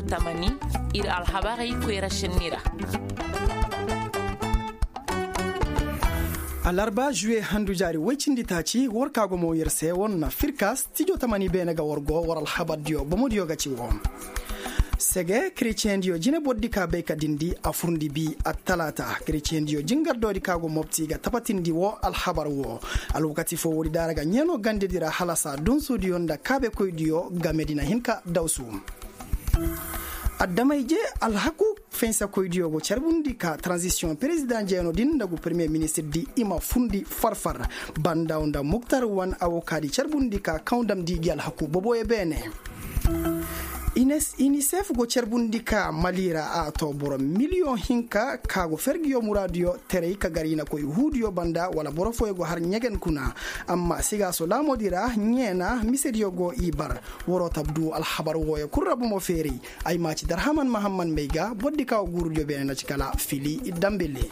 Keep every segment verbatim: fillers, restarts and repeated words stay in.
Tamani, ir alhabarey koyra šenni ra. Alarba juwe handu jaari woy cindi taaci war ka go mo yer se war na firka stijo tamani beene ga war go war alhabardiyo bomodiyo ga ci wo. Sege kretiyendiyo jine bordi ka bay ka dindi a furndi bi attalaata. Kretiyendiyo jingardoodi ka go mobti ga tabatindi wo alhabar wo. Alwakati fo woodi daara ga ɲeeno gandedi ra halasa dunsudiyo nda kaabekoydiyo game di na hin ka dawsu. Addamayje alhaku fensakoydiyo go carbundi ka tranzisiyoŋ perezidaŋ jeeno din nda gu peremiye ministir di i ma fundi farfar. Bandaw nda muktar wan awokaadi carbundi ka kaŋ damndi gi alhaku boboyo beene. Inisef go carbundi ka mali ra a to boro miliyoŋ hinka ka go fergiyo muraadiyo teray ka gar i na koy huudiyo banda wala boro fooyo go har ɲegen kuna. Amma sigaaso laamoodi ra ɲeena misediyo go i bar. Waroo tabdu alhabar wooyo kul ra bomo feeray. Ay ma ci darhaman mahamman may ga bordi ka wo guurudiyo beene na ci kala fili dambele.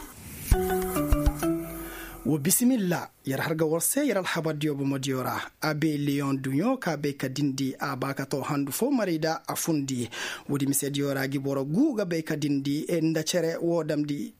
Wo bisimilla. Yer har ga war se yer alhabardiyo bomodiyo ra. Abe leyoŋ duɲo ka bay ka dindi a ba ka to handu fo maray da a fundi. Woodi misediyo ra gi boro gu ga bay ka dindi nda cere wo damndi.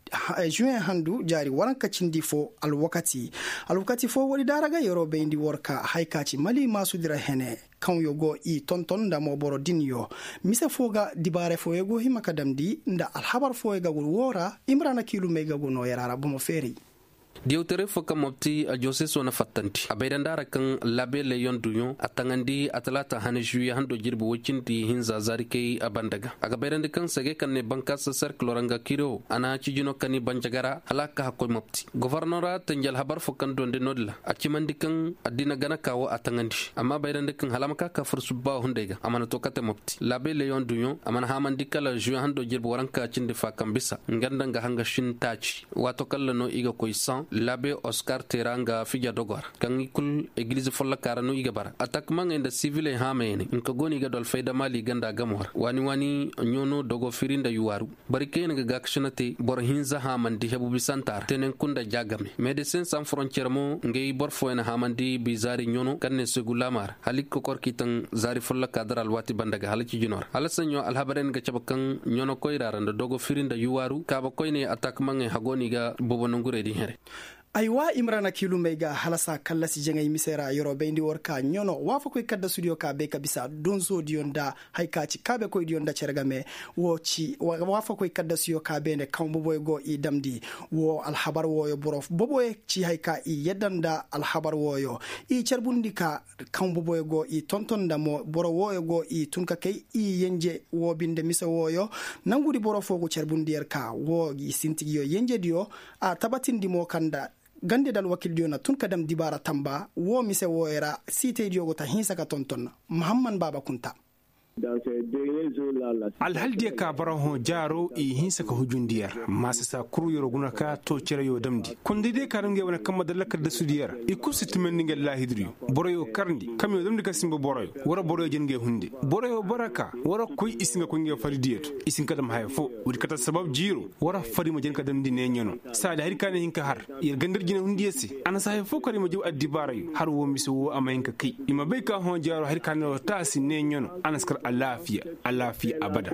Juwen handu jaari waranka cindi fo alwakati. Alwakati fo woodi daara ga yeroo bayndi war ka hay ka ci mali maasudi ra hene. Kaŋyo go i tonton nda mo boro dinyo. Mise foo ga dibaare fooyo go hima ka damndi nda alhabar fooyo ga gu woo ra. Imrana kiilumey ga gu noo yaraara bomo feeray. Diyawtaray foo kaŋ mobti a jooseso na fattandi a bay da nda a ra kaŋ labe leyon duɲo a taŋandi a talaata hane žuwiye hando jirbi woy cindi hinza zaarikey a banda ga a ga bayrandi kaŋ sege kaŋ ne bankaasa serkilo ra nga kiro a na cijino kani banjaga ra hala a ka hakkoy mobti gofornora tanji alhabar foo kaŋ duwandi no-din ra a cimandi kaŋ addina gana ka wo a taŋandi amma bayrandi kaŋ hala a ma ka ka fur subba hunday ga a mana to kate mobti labe leyon duɲo a mana haamandi kala žuwe hando jirbi waranka cindi fa kaŋ bisa nga nda nga hanga shin taaci. Waato kaŋ ra no i ga koy saŋ labe oskar te ra nga fija dogo ra kaŋ i kul egiliz folloka ra no i ga bara atakmaŋey nda siviley haamayey ne nka go no i ga du alfayda maali ganda gamo ra waani waani ɲoono dogo firi nda yuwaaru. Bari kaŋ yaŋ ga gaakasina te boro hinza haamandi hebu bisanta ra teenenku nda ja game medesin san forontiyer mo ngey boro fooyaŋ haamandi bizaari ɲoono kaŋ ne segu laama ra hala i ga kokor k'i taŋ zaari folloka dara alwaati banda ga hala cijino ra hala saɲɲo alhabarey na ga cabe kaŋ ɲoono koyra ra nda dogo firi nda yuwaaru kaaba koyney atakmaŋey hago no i ga bobo nangurey din here. Aywa imrana kiilumey ga halasa kallasi jaŋay mise ra yeroo bayndi war ka ɲoono waafakoy kaddasudiyo ka bay ka bisa donsoodiyo nda hay ka ci kaabekoydiyo nda cere game. Wo ci waafakoy kaddasuyo ka beene kaŋ boboy go i damndi. Wo alhabar wooyo boro boboy ci hay ka i yadda nda alhabar wooyo i carbundi ka kaŋ boboyo go i tonton nda mo boro wooyo go i tun ka kay i yenje wo binde mise wooyo. Nangudi boro foo go carbundi yer ka wo gi sintigiyo yenjediyo a tabatindi mo kaŋ nda gande nda alwakildiyo na tun ka dam dibaara tamba wo mise wooyo ra siitaydiyo go ta hinsa ka tonton. Mahamman baaba kunta. Alhaldiyo ka bara hõ jaaro i hinsa ka hujundi yer maasasa kul yeroo guna ka too cere yoo damndi kondaydiyo ka daŋ ngey wane kamma nda lakkal dasudiyo ra i kul si tumandi ngey laahidiriyo. Boroyo karndi kamyo damndi ka simba boroyo war boroyo jin ngey hunde boroyo bara ka war koy i si nga koy ngey faridiyo to i si hin ka dam haya foo. Woodi kate sabab jiiro war fari ma jin ka damndi neeɲano saadi hari ka ne hin ka har yer gandar jine hundiyo se. A na si haya foo kar i ma jaw addibaarayo har woo mise woo a ma hin ka kay i ma bay ka hõ jaaro hari ka ne war taasi neeɲano a na si kar alaafiya. Alaafiya abada.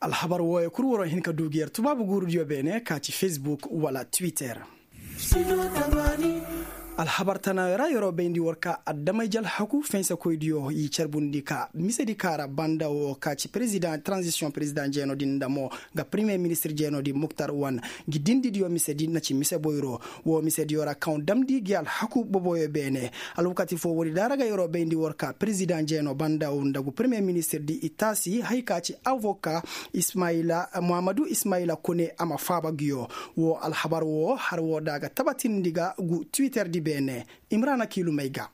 Alhabar wooyo kul waroo hin ka du gi yer tubaabu guurudiyo beene ka ci fesbuk wala twitter. Alhabar tanaayo ra yeroo bayndi war ka adamay jalhaku fensekoydiyo i carbundi ka misedi ka ra banda woo ka ci perezidaŋ tranzisiyoŋ perezidaŋ jeeno din nda mo nga peremiye ministir jeeno din muktar wan. Ngi dindidiyo misedi na ci mise boyro woo misediyo ra kaŋ damndi gi alhaku boboyo beene. Alwakati foo woodi daara ga yeroo bayndi war ka perezidaŋ jeeno banda woo nda gu peremiye ministir di i taasi hay ka ci avoka ismayila muhammadu ismayila kone a ma faaba nguyo. Woo alhabar woo har woo da a ga tabatindi ga gu twitter di beene. Imrana kiilumey ga.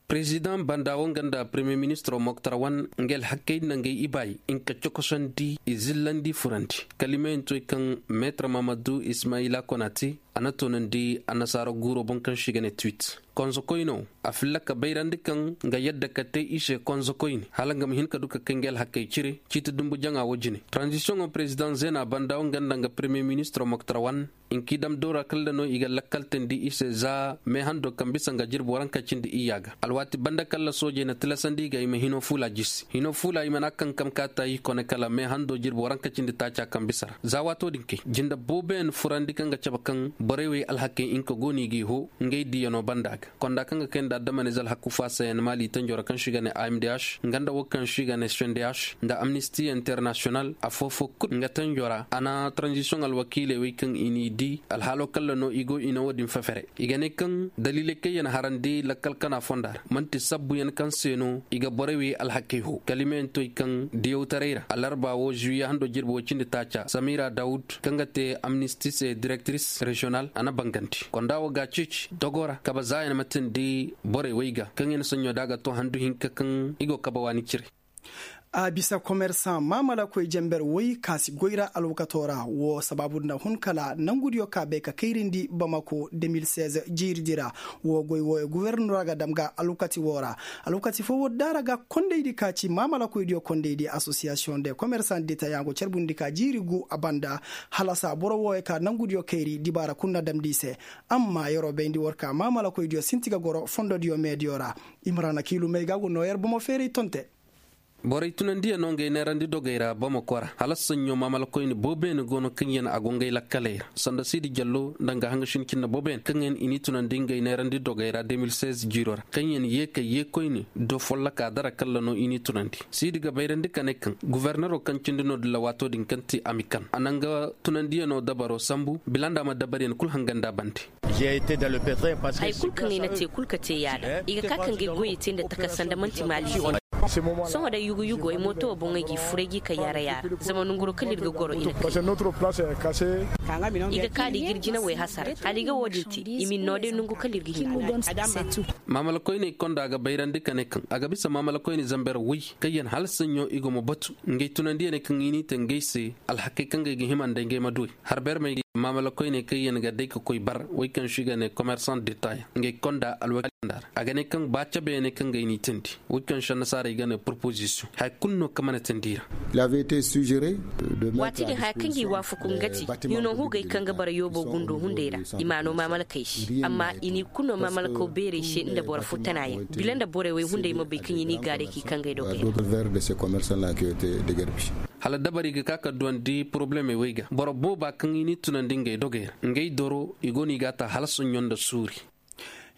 Perezidaŋ banda woo nga nda peremiye ministiroo moktar wan nga alhakey nda ngey ibaay nka cokosandi i zillandi furandi kalimeyantoy kaŋ meetar mahamadu ismayila kone a te. A na toonandi annasaara guuroo boŋ kaŋ se i ga ne twit. Konzokoyne wo a filla ka bayrandi kaŋ nga yadda ka te i se konzokoyne hala nga ma hin ka du ka kay nga alhakey cire. Ciiti dumbu jaŋa wo jine, tranzisiyoŋo perezidaŋ zeena banda wo nga nda nga peremiyer ministiro moktar wan. Nki dam doora kalla no i ga lakkaltandi i se za meehando kaŋ bisa nga jirbi waranka cindi iyya ga alwaati banda kalla soojey na tilasandi i ga i ma hino fuula jisi hino fuula i mana kankam ka taayi kone kala meehando jirbi waranka cindi taaca kaŋ bisa ra za waato din kay jinde booboyaŋ furandi kaŋ ga cabe kaŋ borey wey alhakey nka go no i g'i hoo ngey diiyano banda ga konda kaŋ ga kay nda adamanize alhaku faasayaŋ maali tanjo ra kaŋ se i ga ne amdh nga nda wo kaŋ se i ga ne sendh nda amnisti internasiyonal afoo foo kul nga tanjo ra a na taranzisiyoŋ alwakiiley wey kaŋ i n'i dii alhaalo kalla no i go i na wo-din fefere i ga ne kaŋ daliiley kaŋ yaŋ harandi lakkal kana fonda ra man'ti sabbuyaŋ kaŋ se no i ga borey wey alhakey hoo kalimeyantoy kaŋ diyawtaray ra alarba wo zuwiye hando jirbi woy cindi taaca samira dawud kaŋ ga te amnisti se direktiris reziyonal a na bangandi konda wo ga a ceeci dogo ra kabe zaayaŋ ma tindi borey wey ga kaŋ yaŋ saɲɲo da a ga to handu hinka kaŋ i go kabe waani cire. A bisa komersaŋ maamalakoy jenber woy ka si goy ra alwakato ra wo sabaabu nda hun kala nangudiyo ka bay ka kayrindi bamako de mil seize jiiridi ra. Wo goy wooyo guwernora ga dam ga alwakati woo ra. Alwakati foo woo daara ga kondaydi ka ci maamalakoydiyo kondaydi asosiyasiyoŋ de komersaŋ dita yaŋ go carbundi ka jiiri gu a banda. Halasa boro wooyo ka nangudiyo kayri dibaara kul na damndi i se. Amma yer'o bayndi war ka maamalakoydiyo sinti ga goro fondodiyo meediyo ra. Imrana kiilumey ga go noo yer bomo feeray tonte. Borey tunandiyaŋo ngey neerandi dogey ra bamako ra hala saɲɲo maamalakoyni booboyaŋ go no kaŋyaŋ a go ngey lakkaley ra sanda siidi jallo nda nga haŋasin cinne booboyaŋ kaŋyaŋ i n'i tunandi ngey neerandi dogey ra de mil seize jiiro ra kaŋyaŋ yee kay yeekoyni do folloka dara kalla no i n'i tunandi. Siidi ga bayrandi ka ne kaŋ guwernero kaŋ cindi no dilla waato din kaŋ ti amikan a na nga tunandiyaŋo dabaro sambu bila nda a ma dabaryaŋ kul hangandi a bande. Haya kul kaŋ ay na te kul ka te yaada i ga ka ka ngey goyey te nda takasa nda man'ti maali se. Sohõ day yugu-yugu ay mooto wo boŋ ay g'i fur ay g'i kay yaara-yaara zama nonguro kala ir ga goro i na kay. I ga ka da i ga ir jinawey hasara hala i ga wo-din te i ma ni noo day nongu kala ir ga hin. Maamalakoyney konda ga bayrandi ka ne kaŋ a ga bisa maamalakoyney zamber woy kaŋ yaŋ hala saɲɲo i go ma batu ngey tunandiyaney kaŋ i n'i te ngey se. Alhakey kaŋ ga ay ga hima nda ngey ma duwey harbermey maamalakoyney kaŋ yaŋ ga day ka koy bar woy kaŋ se i ga ne komersaŋ detay ngey konda alwakil nda ra a ga ne kaŋ ba cabeyaney kaŋ ga ay n'i teendi woy kaŋ se annasaarey ga ne porpozisiyoŋ haya kulu no kaŋ mana teendi i ra. Waati din haya kaŋ ga i waafaku nga ti hino hugey kaŋ ga bara yoobo gundo hunday ra i m'a no maamalakey se amma i n'i kulu no maamalakaw beerey se nda boro fo tanayaŋ bila nda borey wey hunday ma bay kaŋ i n'i gaaray k'i kaŋ ga ay dogey ra. Hala dabari ga ka ka duwandi porobulemey wey ga boro booba kaŋ i n'i tunandi ngey dogey ra ngey doro i go no i g'a ta hala soɲɲo nda suuri.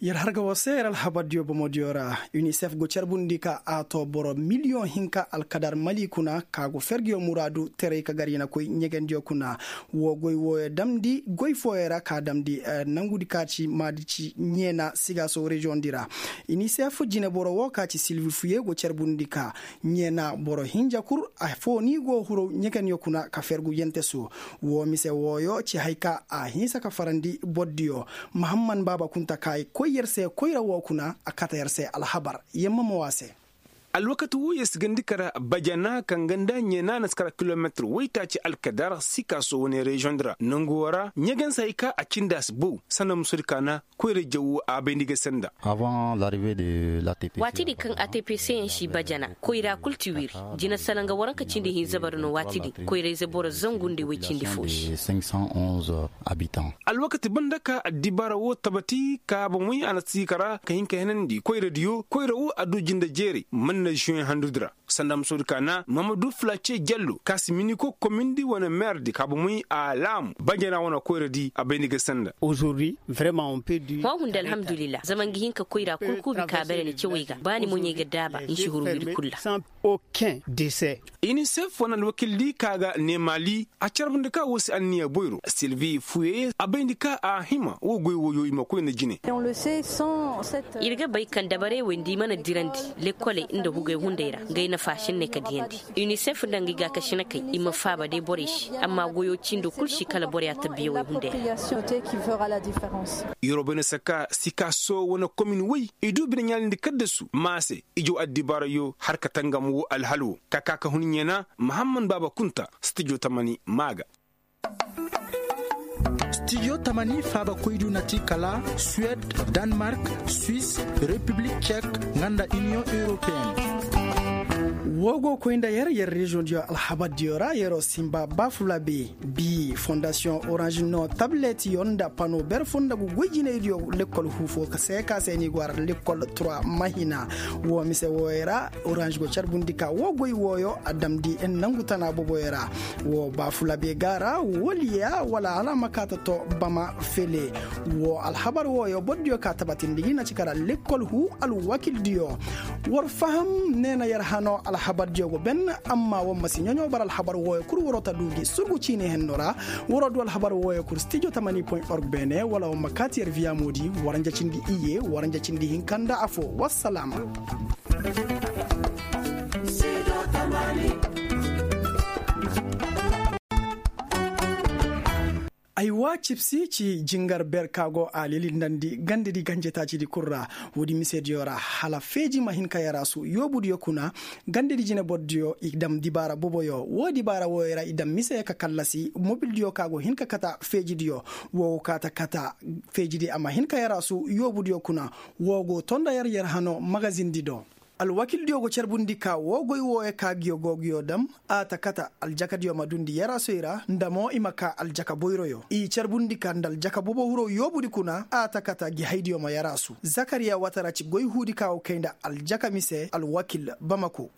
Yer harga woo se yer alhabardiyo bomodiyo ra. Unicef go carbundi ka a to boro miliyoŋ hinka alkadar mali kuna ka go fergiyo muraadu teray ka gar i na koy ɲegendiyo kuna. Woo goy wooyo damndi goy fooyo ra ka damndi nangudi ka ci maadi ci ɲeena sigaaso reziyoŋdi ra. Unicef jineboro woo ka ci silvi fuye go carbundi ka ɲeena boro hinja kul afoo ni go huru ɲegenyo kuna ka fergu yentesu. Woo mise wooyo ci hay ka a hinsa ka farandi bordiyo. Mahamman baaba kunta ka ay koy yer se koyra woo kuna a kata yer se alhabar. Yemma ma woo a se. Alwakati woo yer si gandi kara bajana kaŋ ganda ɲeena na si kara kilometir woytaaci alkadar sikaaso wane reziyoŋ di ra nongu woo ra ɲegensa hay ka a cindi a si bow sanda musodi kaana. Koyra jaw a bayndi ga sanda. Waati din kaŋ a t p c yaŋ si bajana koyra kul ti wiri jina salanga waranka cindi hinza bara no waati din koyra ize boro zangu nda way cindi fo se. Alwakati banda ka addibaara wo tabati ka bomoy a na siika ra ka hin ka henandi koyradiyo koyra wo a du jinde jeeray man na zuwe handudi ra. Sanda ma soodi ka na mamadu fulace jallo ka si miniko komindi wane meerdi ka bomoy a laamu bajana wane koyradi a bayndi ga sanda. Hõ hunda alhamdulillah zama nga hin ka koyra kul kuubi ka bare ni cawey ga ba ni moɲey ga daaba ni si huru wiri kul ra. Unicef wane alwakildi ka ga neemaali a carbundi ka woo si anniya boyro silvi fuye a bayndi ka a hima woo goy wooyo i ma koy nda jine. Ir ga bay kaŋ dabarey wey nda i mana dirandi lekkoley nda hugey hunday ra ngey nafa sinney ka diyandi. Unicef nda nga i gaakasinakey i ma faaba day borey se amma goyo cindo kul si kala borey a tabbiyawey hunday ra. Yeroo bay na saka sikaaso wane komin wey i du bine ɲaalindi kaddasu maase ijo addibaarayo har ka tangam woo alhal woo ka ka ka hun ɲeena mahamman baaba kunta stijo tamani maa ga. Stijo tamani faabakoydiyo na ti kala suwed, danmark, swis, repiblik cek, nga nda iniyoŋ europeen. Woo go koy nda yer yer reziyoŋdiyo alhabardiyo ra yeroo sinba baafulabe. Bi fondasiyoŋ oranž no tabletyo nda pano ber fo nda ga goy jinaydiyo lekkol huu fo ka se ka se ni go a ra lekkol trois mahina. Woo mise wooyo ra oranž go carbundi ka woo goy wooyo a damndi nongu tana boboyo ra. Woo baafulabe ga a ra woliya wala hala a ma kaa ta too bama fele. Woo alhabar wooyo bordiyo ka tabatindi gi na ci kara lekkol huu alwakildiyo. War faham neena yer hanoo alhabardiyo go ben. Amma war ma si ɲoɲo bar alhabar wooyo kul waroo ta duu gi surgu ciini henno ra. Waroo duu alhabar wooyo kul stijo tamani point org beene wala war ma kaati yer viyamoodi. War nja cindi iyye war nja cindi hinka nda afoo wassalaama. Aywa cibsi ci jingar ber ka go a lilindandi gandedi ganjetaacidi kul ra. Woodi misediyo ra hala feeji ma hin ka yaraasu yoobudiyo kuna. Gandedi jinebordiyo i dam dibaara boboyo woo dibaara wooyo ra i dam mise ka kallasi mobildiyo ka go hin ka kata feejidiyo. Woo go kaa ta kata feejidi a ma hin ka yaraasu yoobudiyo kuna. Woo go too nda yer yer hanoo magazindi do. Alwakildiyo go carbundi ka woo goy wooyo ka ngiyo go ngiyo dam. A ta kata aljakadiyo ma duundi yaraasoy ra nda mo i ma kaa aljaka boyroyo i carbundi ka nda aljaka bobo huroo yoobudi kuna a ta kata ngi haydiyo ma yaraasu zakariya watara ci goy huudi ka go kay nda aljaka mise alwakil bamako.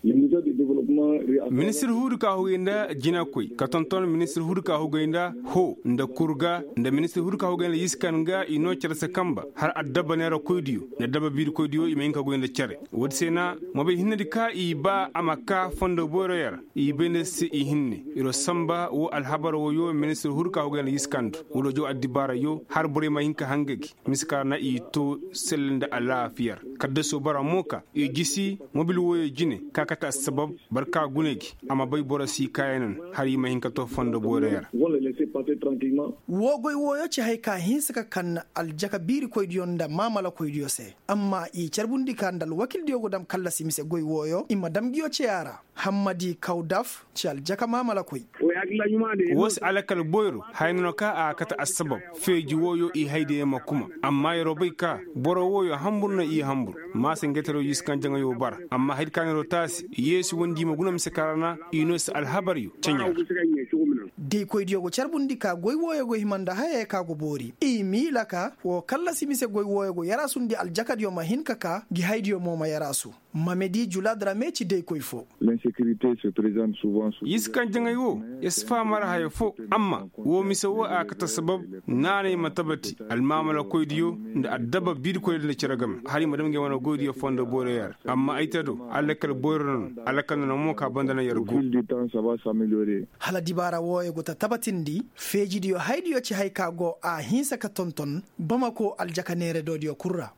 Ministir huudi ka hugay nda jinakoy ka tonton ministir huudi ka hugay nda hoo nda kurga nda ministir huudi ka hugay nda yiskan ga i noo cere se kanba har addabba neerakoydiyo nda addabba biirikoydiyo i ma hin ka goy nda cere. Woodi se na mobel hinnedi ka i baa a ma kaa fondo boyroyo ra. I bay nda se i hinne. Iro sanba woo alhabar wooyo ministir huudi ka hugay nda yiskan do wala joo addibaarayo har borey ma hin ka hanga gi. Mise ka ra na i too selle nda alaafiya ra. Kaddasoo bara mo ka i jisi mobil wooyo jine ka kate assabab. Barka gune gi a ma bay boro si kaayanan har i ma hin ka too fondo boyroyo ra. Woo goy wooyo ci haya ka hinsa ka kan aljaka biirikoydiyo nda maamalakoydiyo se. Amma i carbundi ka nda alwakildiyo go dam kallasi mise goy wooyo i ma dam ngiyo ceya ra. Hammadi kawdaf ci aljaka maamalakoy. Woo si alakal boyro haya no ka a kate assabab. Feeji wooyo i haydiyo ma kuma. Amma yeroo bay ka boro wooyo hambur no i hambur. Maasa ngeteroo yiskan jaŋayoo bara amma haydi ka neeroo taasi yeesi wondi i ma guna mise ka ra na i noo si alhabaryo ceɲa ra. Daykoydiyo go carbundi ka goy wooyo go hima nda hayey ka go boori i miila ka woo kallasi mise goy wooyo go yaraasundi aljakadiyo ma hin ka kaa ngi haydiyo mo ma yaraasu. Mamedi juladrame ci daykoy foo. Yiskan jaŋay woo ya si faham ra haya foo. Amma woo mise woo a kate sabab naanay ma tabati almaamalakoydiyo nda addabba biirikoydiyo nda cere game har i ma dam ngey wane goydiyo fondo boyroyo ra. Amma ay te do alakal boyro no no alakal no no mo ka banda no yer go. Hala dibaara wooyo go ta tabatindi feejidiyo haydiyo ci hay ka go a hinsa ka tonton bamako aljaka neeredodiyo kul ra.